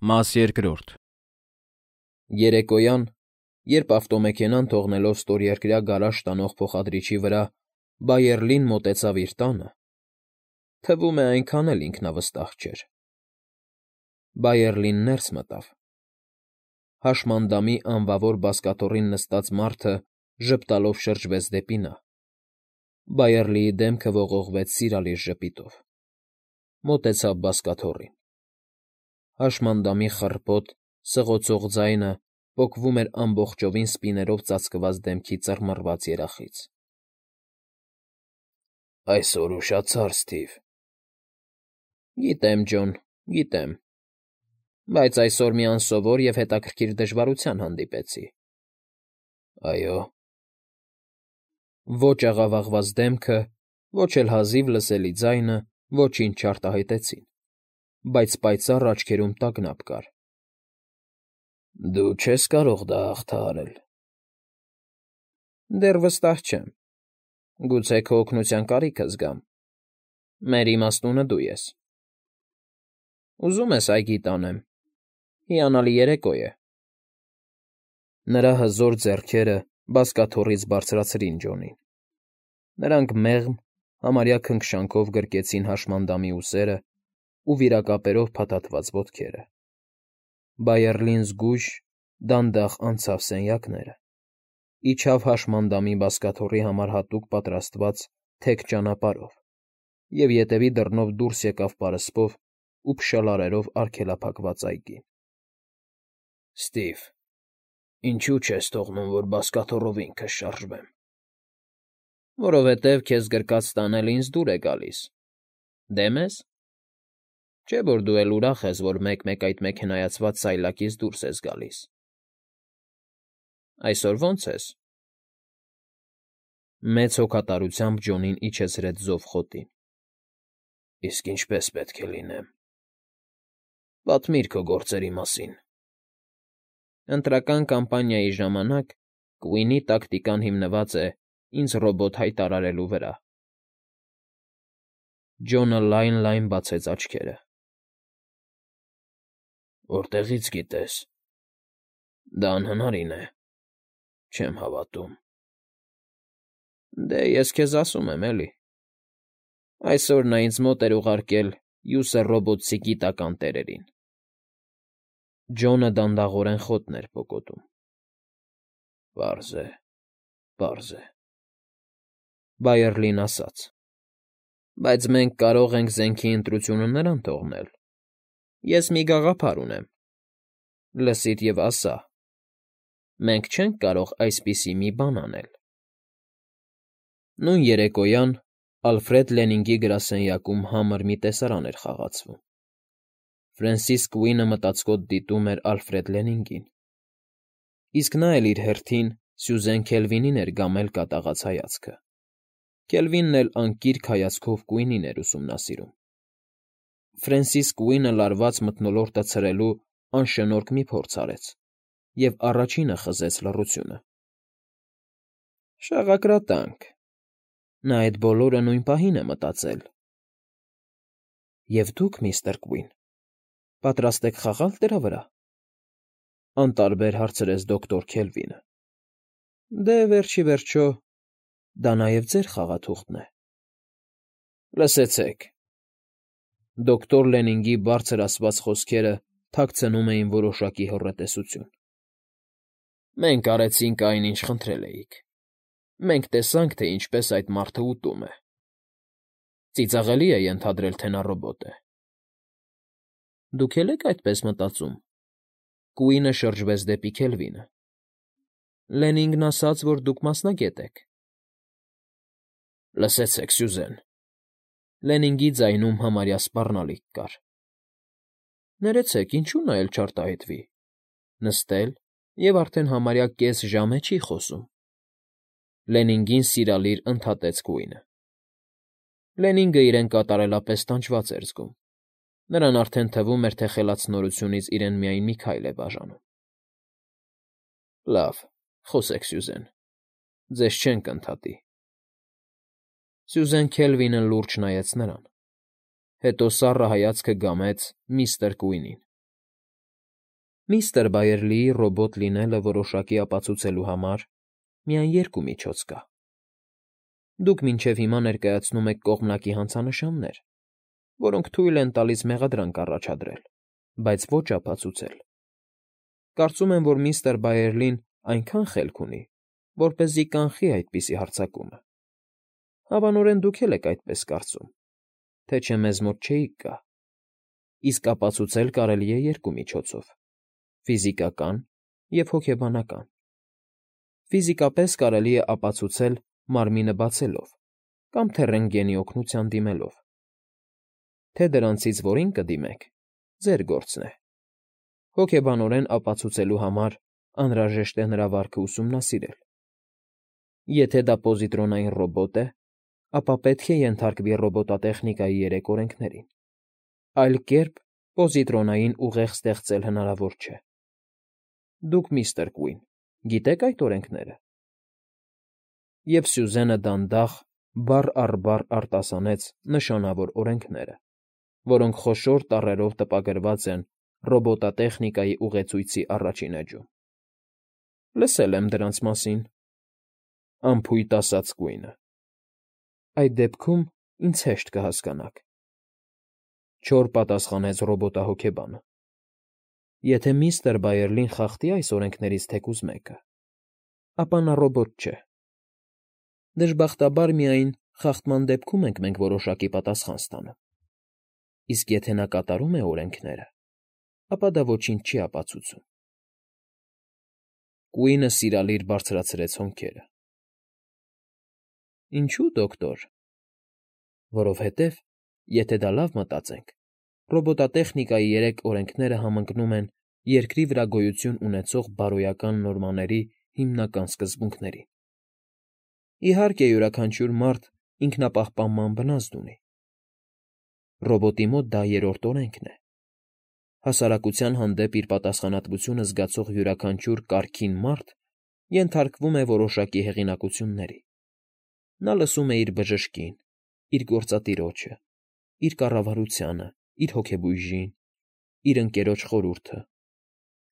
Մաս երկրորդ։ Երեկոյան, երբ ավտոմեքենան թողնելով ստորերկրյա գարաժ տանող փոխադրիչի վրա Բայերլին մոտեցավ իր տանը, թվում է այնքան էլ ինքնավստահ չէր, Բայերլին ներս մտավ. հաշմանդամի անվավոր բազկաթոռին նստած մարդը ժպտալով շրջվեց դեպի նա, Բայերլիի դեմքը ողողվեց սիրալիր ժպիտով, մոտեցավ բազկաթոռին. հաշմանդամի խռպոտ, սղոցող ձայնը պոկվում էր ամբողջովին սպիներով ծածկված դեմքի ծռմռված երախից։ ֊ Այսօր ուշացար, Սթիվ։ ֊ Գիտեմ, Ջոն, գիտեմ, բայց այսօր մի անսովոր և հետաքրքիր դժվարության հանդիպեցի։ ֊ Այո՞։ Ոչ աղավաղված դեմքը, ոչ էլ հազիվ լսելի ձայնը ոչինչ չարտահայտեցին, բայց պայծառ աչքերում տագնապ կար։ ֊ Դու չես կարող դա հաղթահարել։ ֊ Դեռ վստահ չեմ։ Գուցե քո օգնության կարիքը զգամ։ Մեր իմաստունը դու ես։ ֊ Ուզում ես այգի տանեմ։ Հիանալի երեկո է։ Նրա հզոր ձեռքերը բազկաթոռից բարձրացրին Ջոնին. նրանք մեղմ, համարյա քնքշանքով գրկեցին հաշմանդամի ուսերն ու վիրակապերով փաթաթված ոտքերը։ Բայերլին զգույշ, դանդաղ անցավ սենյակները, իջավ հաշմանդամի բազկաթոռի համար հատուկ պատրաստված թեք ճանապարհով և ետևի դռնով դուրս եկավ պարսպով ու փշալարերով արգելափակված այգին։ ֊ Սթիվ, ինչո՞ւ չես թողնում, որ բազկաթոռով ինքս շարժվեմ։ ֊ Որովհետև քեզ գրկած տանելը ինձ դուր է գալիս։ Դեմ ես։ Չէ՞ որ դու էլ ուրախ ես, որ մեկ֊մեկ այդ մեքենայացված սայլակից դուրս ես գալիս։ Այսօր ո՞նց ես։ Մեծ հոգատարությամբ Ջոնին իջեցրեց զով խոտին։ ֊ Իսկ ինչպե՞ս պետք է լինեմ։ ֊ Պատմիր քո գործերի մասին։ Ընտրական կամպանիայի ժամանակ Կուինի տակտիկան հիմնված է ինձ ռոբոտ հայտարարելու վրա։ Ջոնը լայն բացեց աչքերը։ Որտեղի՞ց գիտես։ Դա անհնարին է։ Չեմ հավատում։ Դե, ես քեզ ասում եմ, էլի։ Այսօր նա ինձ մոտ էր ուղարկել յուսեռոբոտցի գիտական տերերին։ Ջոնը դանդաղորեն խոտն էր պոկոտում։ Պարզ է, պարզ է, Բայերլին ասաց, բայց մենք կարող ենք զենքի ընտրությունը նրան թողնել։ Ես մի գաղափար ունեմ։ Լսիր և ասա. մենք չենք կարող այսպիսի մի բան անել։ Նույն երեկոյան Ալֆրեդ Լենինգի գրասենյակում համր մի տեսարան էր խաղացվում։ Ֆրենսիս Կուինը մտածկոտ դիտում էր Ալֆրեդ Լենինգին, իսկ նա էլ իր հերթին Սյուզեն Քելվինին էր գամել կատաղած հայացքը։ Քելվինն էլ անկիրք հայացքով Կուինին էր ուսումնասիրում։ Ֆրենսիս Կուինը լարված մթնոլորտը ցրելու անշնորհք մի փորձ արեց և առաջինը խզեց լռությունը։ Շաղակրատանք։ Նա այդ բոլորը նույն պահին է մտածել։ ֊ Եվ դուք, միստր Կուին, պատրաստ եք խաղալ դրա վրա,֊ անտարբեր հարցրեց դոկտոր Քելվինը։ ֊ Դե, վերջիվերջո, դա նաև ձեր խաղաթուղթն է։ ֊ Լսեցեք,֊ դոկտոր Լենինգի բարձր ասված խոսքերը թաքցնում էին որոշակի հոռետեսություն։ Մենք արեցինք այն, ինչ խնդրել էիք։ Մենք տեսանք, թե ինչպես այդ մարդը ուտում է։ Ծիծաղելի է ենթադրել, թե նա ռոբոտ է։ ֊ Դուք էլ եք այդպես մտածում։ Կուինը շրջվեց դեպի Քելվինը։ Լենինգն ասաց, որ դուք մասնագետ եք։ ֊ Լսեցեք, Սյուզեն,֊ Լենինգի ձայնում համարյա սպառնալիք կար։ Ներեցեք, ինչու՞ նա էլ չարտահայտվի։ Նստել և արդեն համարյա կես ժամ է չի խոսում։ Լենինգին սիրալիր ընդհատեց Կուինը։ Լենինգը իրեն կատարելապես տանջված էր զգում։ Նրան արդեն թվում էր, թե խելացնորությունից իրեն միայն մի քայլ է բաժանում։ ֊ Լավ, խոսեք, Սյուզեն, ձեզ չենք ընդհատի։ Սյուզեն Քելվինը լուրջ նայեց նրան, հետո սառը հայացքը գամեց միստր Կուինին։ Միստր Բայերլիի ռոբոտ լինելը որոշակի ապացուցելու համար միայն երկու միջոց կա. դուք մինչև հիմա ներկայացնում եք կողմնակի հանցանշաններ, որոնք թույլ են տալիս մեղադրանք առաջադրել, բայց ոչ ապացուցել։ Կարծում եմ, որ միստր Բայերլին այնքան խելք ունի, որպեսզի կանխի այդպիսի հարձակումը։ Հավանորեն դուք էլ եք այդպես կարծում, թե չէ մեզ մոտ չէիք գա։ Իսկ ապացուցել կարելի է երկու միջոցով՝ ֆիզիկական և հոգեբանական։ Ֆիզիկապես կարելի է ապացուցել մարմինը բացելով կամ թե ռենտգենի օգնության դիմելով։ Թե դրանցից որին կդիմեք, ձեր գործն է։ Հոգեբանորեն ապացուցելու համար անհրաժեշտ է նրա վարքը ուսումնասիրել։ Եթե դա պոզիտրոնային ռոբոտ է, ապա պետք է ենթարկվի ռոբոտատեխնիկայի 3 օրենքներին։ Այլ կերպ պոզիտրոնային ուղեղ ստեղծել հնարավոր չէ։ Դուք, միստր Կուին, գիտեք այդ օրենքները։ Եվ Սյուզենը դանդաղ, բառ առ բառ արտասանեց նշանավոր օրենքները, որոնք խոշոր տառերով տպագրված են ռոբոտատեխնիկայի ուղեցույցի առաջին էջում։ Լսել եմ դրանց մասին,֊ անփույթ ասաց Կուինը։ Այդ դեպքում ինձ հեշտ կհասկանաք,֊ չոր պատասխանեց ռոբոտահոգեբանը։ Եթե միստր Բայերլին խախտի այս օրենքներից թեկուզ մեկը, ապա նա ռոբոտ չէ։ Դժբախտաբար միայն խախտման դեպքում ենք մենք որոշակի պատասխան ստանում։ Իսկ եթե նա կատարում է օրենքները, ապա դա ոչինչ չի ապացուցում։ Կուինը սիրալիր բարձրացրեց հոնքերը։ Ինչու, դոկտոր։ Որովհետև, եթե դա լավ մտածենք, ռոբոտատեխնիկայի 3 օրենքները համընկնում են երկրի վրա գոյություն ունեցող բարոյական նորմաների հիմնական սկզբունքներին։ Իհարկե, յուրաքանչյուր մարդ ինքնապահպանման բնազդ ունի։ Ռոբոտի մոտ դա 3-րդ օրենքն է։ Հասարակության հանդեպ իր պատասխանատվությունը զգացող յուրաքանչյուր կարգին մարդ ենթարկվում է որոշակի հեղինակությունների։ Նա լսում է իր բժշկին, իր գործատիրոջը, իր կառավարությանը, իր հոգեբույժին, իր ընկերոջ խորհուրդը,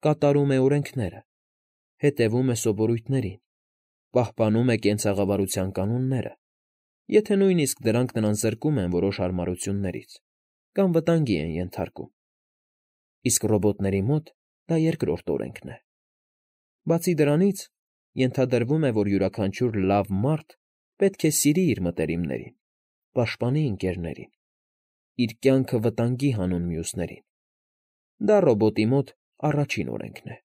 կատարում է օրենքները, հետևում է սովորույթներին, պահպանում է կենցաղավարության կանոնները, եթե նույնիսկ դրանք նրան զրկում են որոշ հարմարություններից կամ վտանգի են ենթարկում։ Իսկ ռոբոտների մոտ դա 2-րդ օրենքն է։ Բացի դրանից, ենթադրվում է, որ յուրաքանչյուր լավ մարդ պետք է սիրի իր մտերիմներին, պաշտպանի ընկերներին, իր կյանքը վտանգի հանուն մյուսներին։ Դա ռոբոտի մոտ առաջին օրենքն է։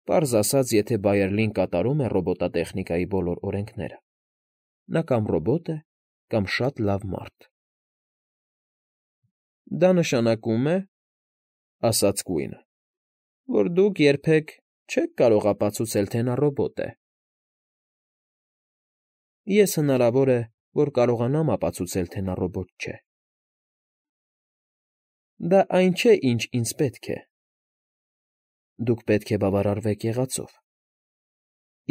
Պարզ ասած, եթե Բայերլին կատարում է ռոբոտատեխնիկայի բոլոր օրենքները, նա կամ ռոբոտ է, կամ շատ լավ մարդ։ Դա նշանակում է, ասաց Կուինը, որ դուք երբեք չեք կարող ապացուցել, թե նա ռոբոտ է։ Ես հնարավոր է, որ կարողանամ ապացուցել, թե նա ռոբոտ չէ։ Դա այն չէ, ինչ ինձ պետք է։ Դուք պետք է բավարարվեք եղածով։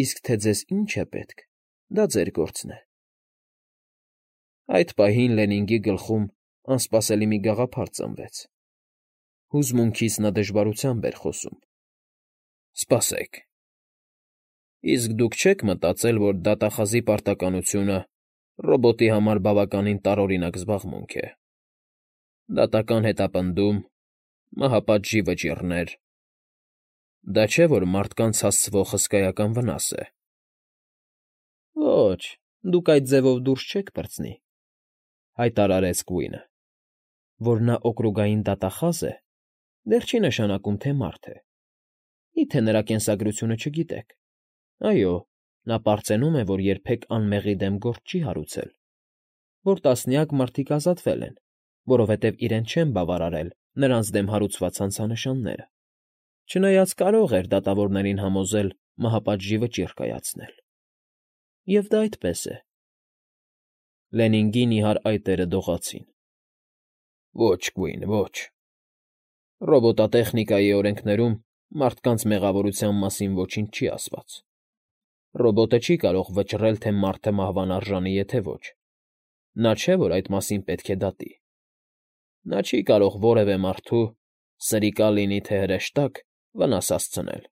Իսկ թե ձեզ ինչ է պետք, դա ձեր գործն է։ Այդ պահին Լենինգի գլխում անսպասելի մի գաղափար ծնվեց։ Հուզմունքից նա դժվարությամբ էր խոսում։ Սպասեք։ Իսկ դուք չեք մտածել, որ դատախազի պարտականությունը ռոբոտի համար բավականին տարօրինակ զբաղմունք է։ Դատական հետապնդում, մահապատժի վճիռներ… Դա չէ, որ մարդկանց հասցվող հսկայական վնաս է։ Ոչ, դուք այդ ձևով դուրս չեք պրծնի,֊ հայտարարեց Կուինը։ Որ նա օկրուգային դատախազ է, դեռ չի նշանակում, թե մարդ է։ Միթե նրա կենսագրությունը չգիտեք։ Այո, նա պարծենում է, որ երբեք անմեղի դեմ գործ չի հարուցել, որ տասնյակ մարդիկ ազատվել են, որովհետև իրեն չեն բավարարել նրանց դեմ հարուցված հանցանշանները, չնայած կարող էր դատավորներին համոզել մահապատժի վճիռ կայացնել։ Եվ դա այդպես է։ Լենինգի նիհար այտերը դողացին։ Ոչ, Կուին, ոչ։ Ռոբոտատեխնիկայի օրենքներում մարդկանց մեղավորության մասին ոչինչ չի ասված։ Ռոբոտը չի կարող վճռել, թե մարդը մահվան արժանի է, թե ոչ։ Նա չէ, որ այդ մասին պետք է դատի։ Նա չի կարող որևէ մարդու, սրիկա լինի թե հրեշտակ, վնաս հասցնել։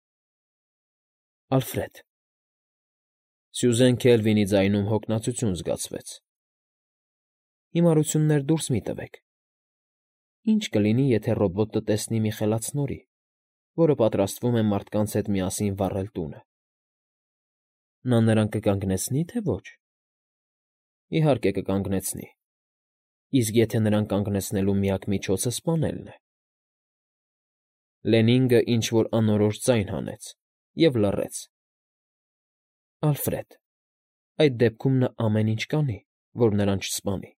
Ալֆրեդ… Սյուզեն Քելվինի ձայնում հոգնածություն զգացվեց։ Հիմարություններ դուրս մի տվեք։ Ինչ կլինի, եթե ռոբոտը տեսնի մի խելացնորի, որը պատրաստվում է մարդկանց հետ միասին վառել տունը։ Նա նրան կկանգնեցնի, թե ոչ։ Իհարկե կկանգնեցնի։ Իսկ եթե նրան կանգնեցնելու միակ միջոցը սպանելն է… Լենինգը ինչ֊որ անորոշ ձայն հանեց և լռեց։ Ալֆրեդ… Այդ դեպքում նա ամեն ինչ կանի, որ նրան չսպանի։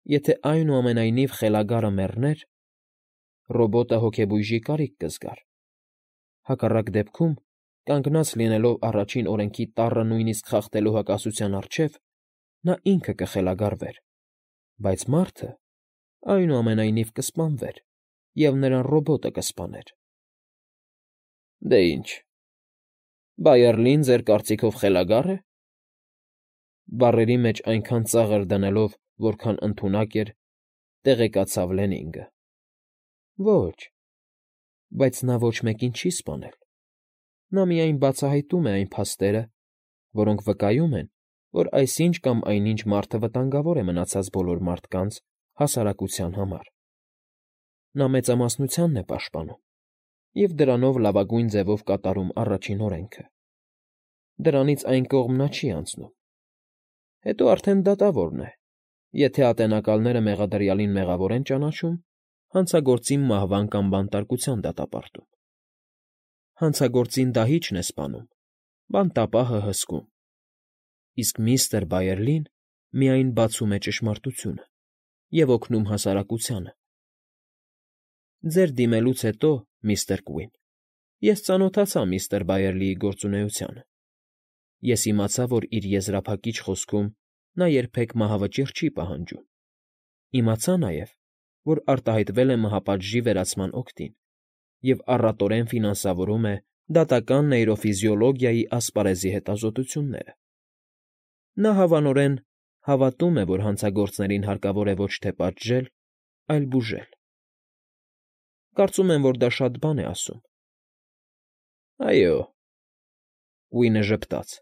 Եթե այնուամենայնիվ խելագարը մեռներ, ռոբոտը հոգեբույժի կարիք կզգար։ Հակառակ դեպքում, կանգնած լինելով առաջին օրենքի տառը նույնիսկ խախտելու հակասության առջև, նա ինքը կխելագարվեր, բայց մարդը, այնուամենայնիվ, կսպանվեր, և նրան ռոբոտը կսպաներ։ Դե ինչ… Բայերլին ձեր կարծիքով խելագա՞ր է,֊ բառերի մեջ այնքան ծաղր դնելով, որքան ընդունակ էր, տեղեկացավ Լենինգը։ Ոչ… Բայց նա ոչ մեկին չի սպանել։ Նա միայն բացահայտում է այն փաստերը, որոնք վկայում են, որ այսինչ կամ այնինչ մարդը վտանգավոր է մնացած բոլոր մարդկանց, հասարակության համար։ Նա մեծամասնությանն է պաշտպանում և դրանով լավագույն ձևով կատարում առաջին օրենքը։ Դրանից այն կողմ նա չի անցնում։ Հետո արդեն դատավորն է, եթե ատենակալները մեղադրյալին մեղավոր են ճանաչում, հանցագործին մահվան կամ բանտարկության դատապարտում։ Հանցագործին դահիճն է սպանում, բանտապահը հսկում, իսկ միստր Բայերլին միայն բացում է ճշմարտությունը և օգնում հասարակությանը։ Ձեր դիմելուց հետո, միստր Կուին, ես ծանոթացա միստր Բայերլիի գործունեությանը։ Ես իմացա, որ իր եզրափակիչ խոսքում նա երբեք մահավճիռ չի պահանջում։ Իմացա նաև, որ արտահայտվել է մահապատժի վերացման օգտին և առատորեն ֆինանսավորում է դատական նեյրոֆիզիոլոգիայի ասպարեզի հետազոտությունները։ Նա հավանորեն հավատում է, որ հանցագործներին հարկավոր է ոչ թե պատժել, այլ բուժել։ Կարծում եմ, որ դա շատ բան է ասում։ Այո… Կուինը ժպտաց։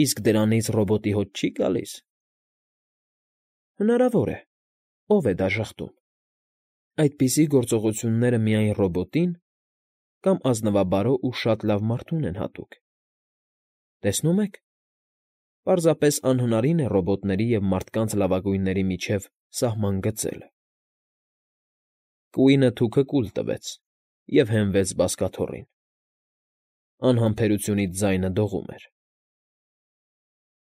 Իսկ դրանից ռոբոտի հոտ չի՞ գալիս։ Հնարավոր է, ով է դա ժխտում։ Այդպիսի գործողությունները միայն ռոբոտին կամ ազնվաբարո ու շատ լավ մարդուն են հատուկ։ Տեսնում եք, պարզապես անհնարին է ռոբոտների և մարդկանց լավագույնների միջև սահման գծելը։ Կուինը թուքը կուլ տվեց և հենվեց բազկաթոռին։ Անհամբերությունից ձայնը դողում էր։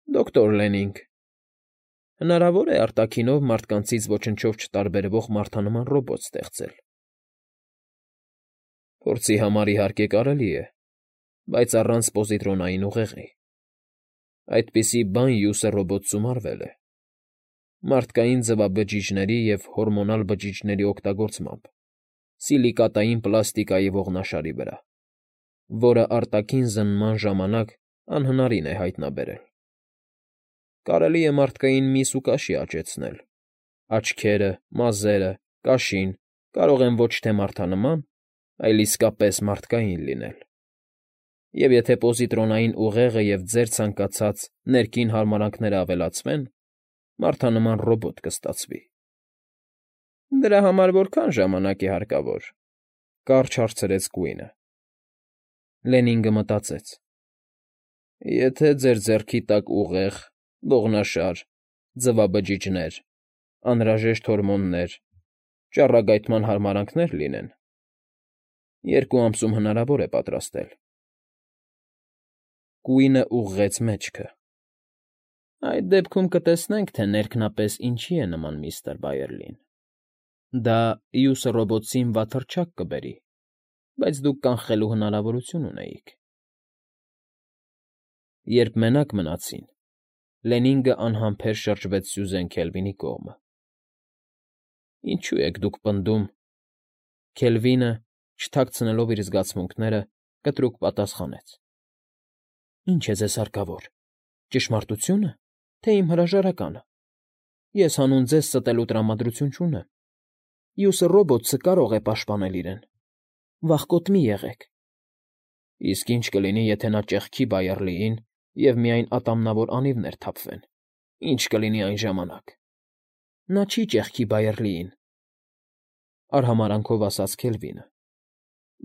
Դոկտոր Լենինգ, հնարավո՞ր է արտաքինով մարդկանցից ոչնչով չտարբերվող մարդանման ռոբոտ ստեղծել։ Փորձի համար, իհարկե, կարելի է, բայց առանց պոզիտրոնային ուղեղի։ Այդպիսի բան յուսը ռոբոտ ծումարվել է։ Մարդկային ձվաբջիջների և հորմոնալ բջիջների օգտագործմամբ, սիլիկատային պլաստիկայի ողնաշարի վրա, որը արտաքին զննման ժամանակ անհնարին է հայտնաբերել։ Կարելի է մարդկային միս ու կաշի աճեցնել։ Աչքերը, մազերը, կաշին կարող են ոչ թե մարդանման, այլ իսկապես մարդկային լինել։ Եվ եթե պոզիտրոնային ուղեղը և ձեր ցանկացած ներքին հարմարանքները ավելացվեն, մարդանման ռոբոտ կստացվի։ Դրա համար որքա՞ն ժամանակ է հարկավոր,֊ կարճ հարցրեց Կուինը։ Լենինգը մտածեց. Եթե ձեր ձեռքի տակ ուղեղ, ողնաշար, ձվաբջիջներ, անհրաժեշտ հորմոններ, ճառագայթման հարմարանքներ լինեն, 2 ամսում հնարավոր է պատրաստել։ Կուինը ուղղեց մեջքը։ Այդ դեպքում կտեսնենք, թե ներքնապես ինչի է նման միստր Բայերլին։ Դա յուսը ռոբոտին վաթռչակ կբերի, բայց դուք կանխելու հնարավորություն ունեիք։ Երբ մենակ մնացին, Լենինգը անհամբեր շրջվեց Սյուզեն Քելվինի կողմը։ Ինչո՞ւ եք դուք պնդում… Քելվինը, չթաքցնելով իր զգացմունքները, կտրուկ պատասխանեց. Ինչ է ձեզ հարկավոր, ճշմարտությո՞ւնը, թե իմ հրաժարականը։ Ես հանուն ձեզ ստելու տրամադրություն չունեմ։ Մյուսը ռոբոտը կարող է պաշտպանել իրեն։ Վախկոտ մի եղեք։ Իսկ ինչ կլինի, եթե նա ճեղքի Բայերլիին և միայն ատամնավոր անիվներ թափվեն։ Ինչ կլինի այն ժամանակ։ Նա չի ճեղքի Բայերլիին, արհամարհանքով ասաց Քելվինը։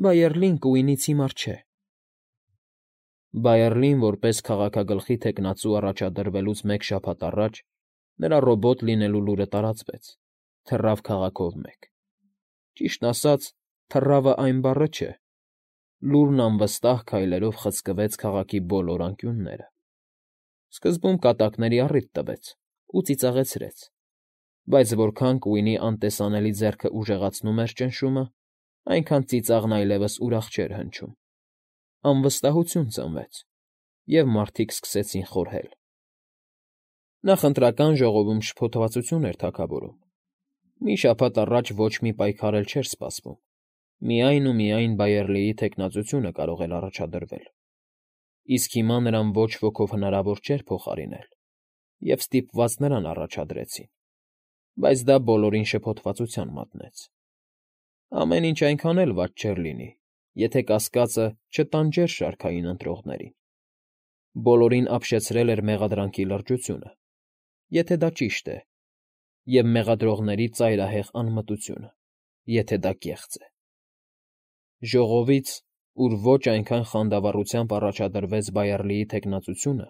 Բայերլին Կուինից հիմար չէ։ Բայերլին, որպես քաղաքագլխի թեկնածու առաջադրվելուց մեկ շաբաթ առաջ, նրա ռոբոտ լինելու լուրը տարածվեց, թռավ քաղաքով մեկ։ Ճիշտն ասած, թռավը այն բառը չէ։ Լուրն անվստահ քայլերով խցկվեց քաղաքի բոլոր անկյունները։ Սկզբում կատակների առիթ տվեց ու ծիծաղեցրեց, բայց որքան Կուինի անտեսանելի ձեռքը ուժեղացնում էր ճնշումը, այնքան ծիծաղն այլևս ուրախ չէր հնչում։ Անվստահություն ծնվեց, և մարդիկ սկսեցին խորհել։ Նախընտրական ժողովում շփոթվածություն էր թագավորում։ Մի շաբաթ առաջ ոչ մի պայքար էլ չէր սպասվում։ Միայն ու միայն Բայերլիի թեկնածությունը կարող էր առաջադրվել։ Իսկ հիմա նրան ոչ ոքով հնարավոր չէր փոխարինել, և ստիպված նրան առաջադրեցին, բայց դա բոլորին շփոթվածության մատնեց։ Ամեն ինչ այնքան էլ վատ չէր լինի, եթե կասկածը չտանջեր շարքային ընտրողներին։ Բոլորին ապշեցրել էր մեղադրանքի լրջությունը, եթե դա ճիշտ է, և մեղադրողների ծայրահեղ անմտությունը, եթե դա կեղծ է։ Ժողովից, ուր ոչ այնքան խանդավառությամբ առաջադրվեց Բայերլիի թեկնածությունը,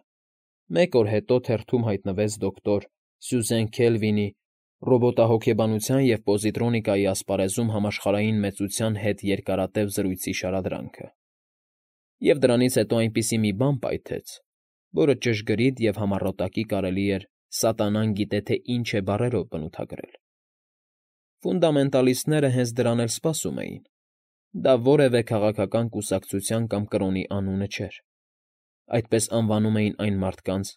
մեկ օր հետո թերթում հայտնվեց դոկտոր Սյուզեն Քելվինի ռոբոտահոգեբանության և պոզիտրոնիկայի ասպարեզում համաշխարհային մեծության հետ երկարատև զրույցի շարադրանքը։ Եվ դրանից հետո այնպիսի մի բան պայթեց, որը ճշգրիտ և համառոտակի կարելի էր «սատանան գիտե թե ինչ է» բառերով բնութագրել։ Ֆունդամենտալիստները հենց դրան էլ սպասում էին։ Դա որևէ քաղաքական կուսակցության կամ կրոնի անունը չէր։ Այդպես անվանում էին այն մարդկանց,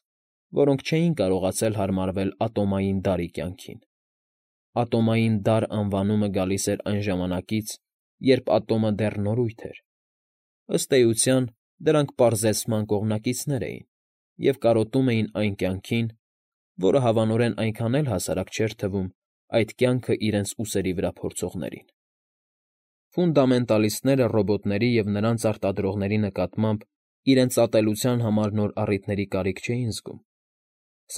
որոնք չէին կարողացել հարմարվել ատոմային դարի կյանքին։ Ատոմային դար անվանումը գալիս էր այն ժամանակից, երբ ատոմը դեռ նորույթ էր։ Ըստ էության, դրանք պարզեցման կողմնակիցներ էին և կարոտում էին այն կյանքին, որը հավանորեն այնքան էլ հասարակ չէր թվում այդ կյանքը իրենց ուսերի վրա փորձողներին։ Ֆունդամենտալիստները ռոբոտների և նրանց արտադրողների նկատմամբ իրենց ատելության համար նոր առիթների կարիք չէին զգում,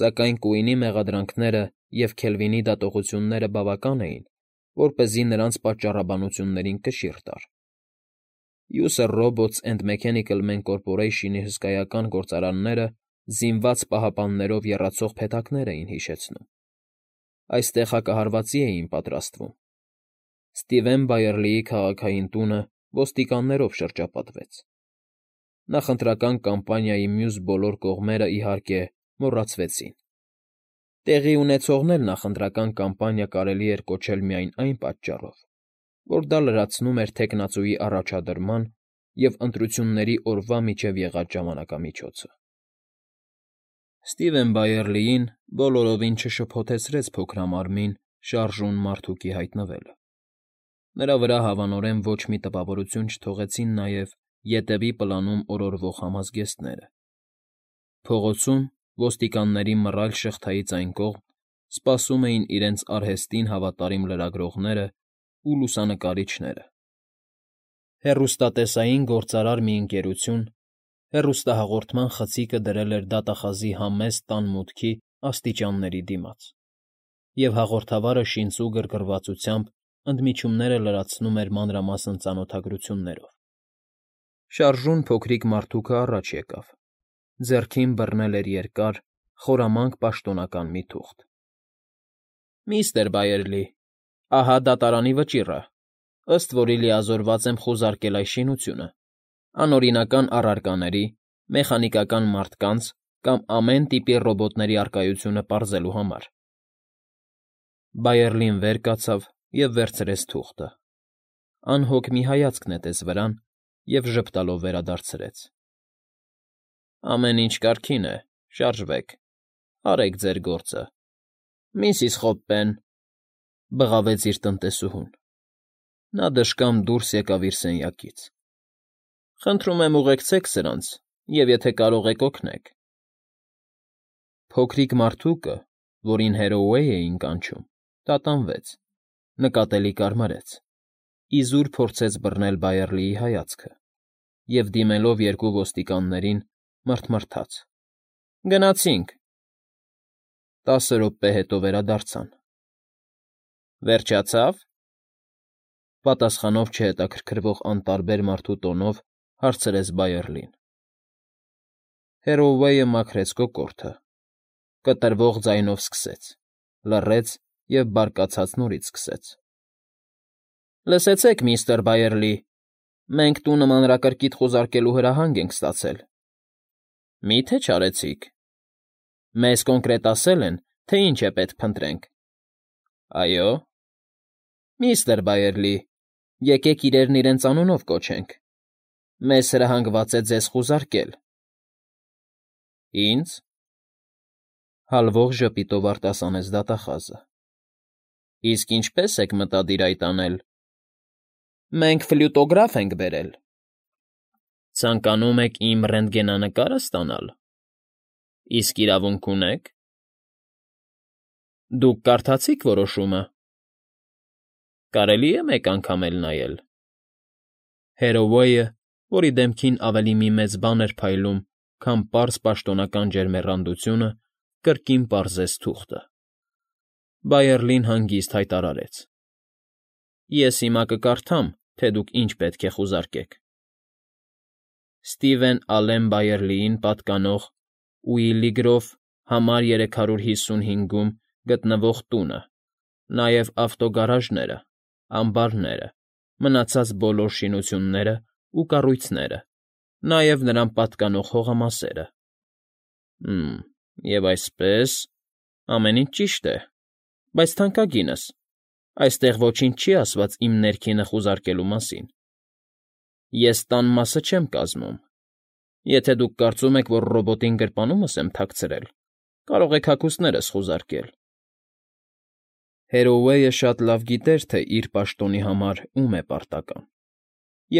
սակայն Կուինի մեղադրանքները և Քելվինի դատողությունները բավական էին, որպեսզի նրանց պատճառաբանություններին կշիռ տար։ User Robots and Mechanical Men Corporation-ի հսկայական գործարանները զինված պահապաններով եռացող փեթակներ էին հիշեցնում։ Այստեղ հակահարվածի էին պատրաստվում։ Սթիվեն Բայերլիի քաղաքային տունը ոստիկաններով շրջապատվեց։ Նախընտրական կամպանիայի մյուս բոլոր կողմերը, իհարկե, մոռացվեցին։ Տեղի ունեցողն էլ նախընտրական կամպանիա կարելի էր կոչել միայն այն պատճառով, որ դա լրացնում էր թեկնածուի առաջադրման և ընտրությունների օրվա միջև եղած ժամանակամիջոցը։ Սթիվեն Բայերլիին բոլորովին չշփոթեցրեց փոքրամարմին, շարժուն մարդուկի հայտնվելը։ Նրա վրա հավանորեն ոչ մի տպավորություն չթողեցին նաև ետևի պլանում օրորվող համազգեստները։ Փողոցում, ոստիկանների մռայլ շղթայից այն կողմ, սպասում էին իրենց արհեստին հավատարիմ լրագրողներն ու լուսանկարիչները։ Հեռուստատեսային գործարար մի ընկերություն հեռուստահաղորդման խցիկը դրել էր դատախազի համեստ տան մուտքի աստիճանների դիմաց, և հաղորդավարը շինծու գրգռվածությամբ ընդմիջումները լրացնում էր մանրամասն ծանոթագրություններով։ Շարժուն փոքրիկ մարդուկը առաջ եկավ։ Ձեռքին բռնել էր երկար, խորամանկ պաշտոնական մի թուղթ։ Միստր Բայերլի, ահա դատարանի վճիռը, ըստ որի լիազորված եմ խուզարկել այս շինությունը, անօրինական առարկաների, մեխանիկական մարդկանց կամ ամեն տիպի ռոբոտների առկայությունը պարզելու համար։ Բայերլին վեր կացավ և վերցրեց թուղթը։ Անհոգ մի հայացք նետեց վրան և ժպտալով վերադարձրեց։ Ամեն ինչ կարգին է, շարժվեք, արեք ձեր գործը։ Միսիս Խոպպեն,֊ բղավեց իր տնտեսուհուն։ Նա դժկամ դուրս եկավ իր սենյակից։ Խնդրում եմ ուղեկցեք սրանց և, եթե կարող եք, օգնեք։ Փոքրիկ մարդուկը, որին Հերոուեյ էին կանչում, տատանվեց։ նկատելի կարմարեց, իզուր փորձեց բռնել Բայերլիի հայացքը և, դիմելով երկու ոստիկաններին, մռթմռթաց. «Գնացինք»։ 10 րոպե հետո վերադարձան։ «Վերջացա՞վ»։ Պատասխանով չհետաքրքրվող անտարբեր մարդու տոնով հարցրեց Բայերլին։ Հերոուեյը մաքրեց կոկորդը, կտրվող ձայնով սկսեց, լռեց և բարկացած նորից սկսեց. «Լսեցեք, միստր Բայերլի, մենք տունը մանրակրկիտ խուզարկելու հրահանգ ենք ստացել»։ «Մի՞թե չարեցիք»։ «Մեզ կոնկրետ ասել են, թե ինչ է պետք փնտրենք»։ «Այո»։ «Միստր Բայերլի, եկեք իրերն իրենց անունով կոչենք. մեզ հրահանգված է ձեզ խուզարկել»։ «Ի՞նձ»։ Հալվող ժպիտով արտասանեց դատախազը։ «Իսկ ինչպե՞ս եք մտադիր այդ անել»։ «Մենք ֆլյուտոգրաֆ ենք բերել»։ «Ցանկանում եք իմ ռենտգենանկարը ստանալ։ Իսկ իրավունք ունե՞ք»։ «Դուք կարդացի՞ք որոշումը»։ «Կարելի է մեկ անգամ էլ նայել»։ Հերոուեյը, որի դեմքին ավելի մի մեծ բան էր փայլում, քան պարզ պաշտոնական ջերմեռանդությունը, կրկին պարզեց թուղթը։ Բայերլին հանգիստ հայտարարեց. «Ես հիմա կկարդամ, թե դուք ինչ պետք է խուզարկեք. Սթիվեն Ալեն Բայերլիին պատկանող Ուիլիգրով համար 355-ում գտնվող տունը, նաև ավտոգարաժները, ամբարները, մնացած բոլոր շինությունները ու կառույցները, նաև նրան պատկանող հողամասերը։ Եվ այսպես, ամեն ինչ ճիշտ է, բայց թանկագինս, այստեղ ոչինչ չի ասված իմ ներքինը խուզարկելու մասին։ Ես տան մասը չեմ կազմում։ Եթե դուք կարծում եք, որ ռոբոտին գրպանումս եմ թաքցրել, կարող եք հագուստներս խուզարկել»։ Հերոուեյը շատ լավ գիտեր, թե իր պաշտոնի համար ում է պարտական,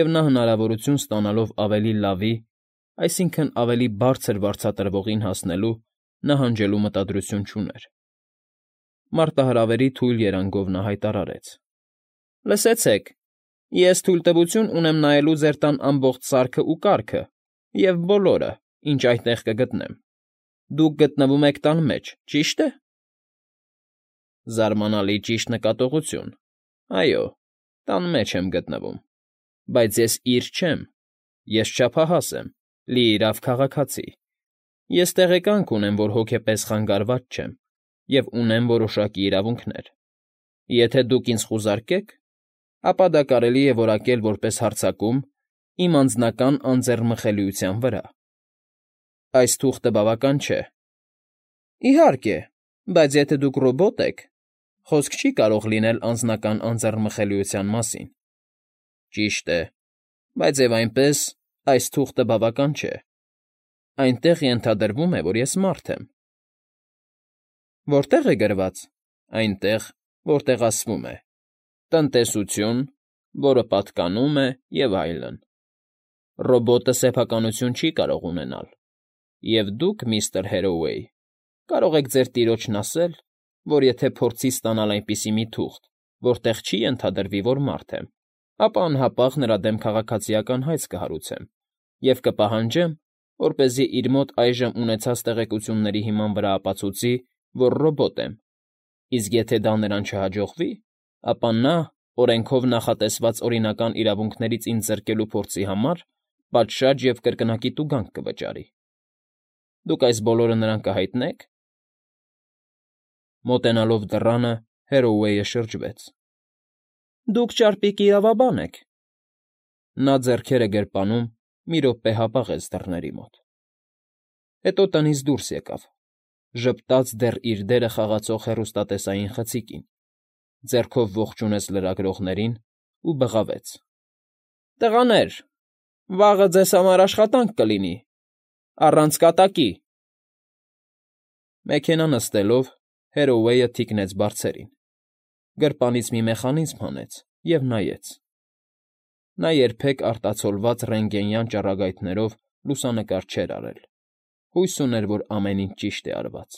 և նա հնարավորություն ստանալով ավելի լավի, այսինքն՝ ավելի բարձր վարձատրվողին հասնելու, նահանջելու մտադրություն չուներ։ Մարտահրավերի թույլ երանգով նա հայտարարեց. «Լսեցեք, ես թույլտվություն ունեմ նայելու ձեր տան ամբողջ սարքն ու կառքը և բոլորը, ինչ այնտեղ կգտնեմ։ Դուք գտնվում եք տան մեջ, ճի՞շտ է»։ Զարմանալի ճիշտ նկատողություն։ Այո, տան մեջ եմ գտնվում, բայց ես իր չեմ, ես չափահաս եմ, լիիրավ քաղաքացի։ Ես տեղեկանք ունեմ, որ հոգեպես խանգարված չեմ և ունեմ որոշակի իրավունքներ։ Եթե դուք ինձ խուզարկեք, ապա դա կարելի է որակել որպես հարձակում իմ անձնական անձեռնմխելիության վրա։ Այս թուղթը բավական չէ։ Իհարկե, բայց եթե դուք ռոբոտ եք, խոսք չի կարող լինել անձնական անձեռնմխելիության մասին։ Ճիշտ է, բայց և այնպես այս թուղթը բավական չէ։ Այնտեղ ենթադրվում է, որ ես մարդ եմ։ Որտե՞ղ է գրված։ Այնտեղ, որտեղ ասվում է. «Տնտեսություն, որը պատկանում է» և այլն։ Ռոբոտը սեփականություն չի կարող ունենալ, և դուք, միստր Հերոուեյ, կարող եք ձեր տիրոջն ասել, որ եթե փորձի ստանալ այնպիսի մի թուղթ, որտեղ չի ենթադրվի, որ մարդ եմ, ապա անհապաղ նրա դեմ քաղաքացիական հայց կհարուցեմ և կպահանջեմ, որպեսզի իր մոտ այժմ ունեցած տեղեկությունների հիման վրա ապացուցի, որ ռոբոտ եմ, իսկ եթե դա նրան չհաջողվի, ապա նա, օրենքով նախատեսված օրինական իրավունքներից ինձ զրկելու փորձի համար, պատշաճ և կրկնակի տուգանք կվճարի։ Դուք այս բոլորը նրան կհայտնե՞ք։ Մոտենալով դռանը, Հերոուեյը շրջվեց։ Դուք ճարպիկ իրավաբան եք։ Նա ձեռքերը գրպանում մի րոպե հապաղեց դռների մոտ։ Հետո տնից դուրս եկավ, ժպտաց դեռ իր դերը խաղացող հեռուստատեսային խցիկին, ձեռքով ողջունեց լրագրողներին ու բղավեց. «Տղաներ, վաղը ձեզ համար աշխատանք կլինի, առանց կատակի»։ Մեքենա նստելով՝ Հերոուեյը թիկնեց բարձերին, գրպանից մի մեխանիզմ հանեց և նայեց։ Նա երբեք արտացոլված ռենտգենյան ճառագայթներով լուսանկար չէր արել, հույս ուներ, որ ամեն ինչ ճիշտ է արված։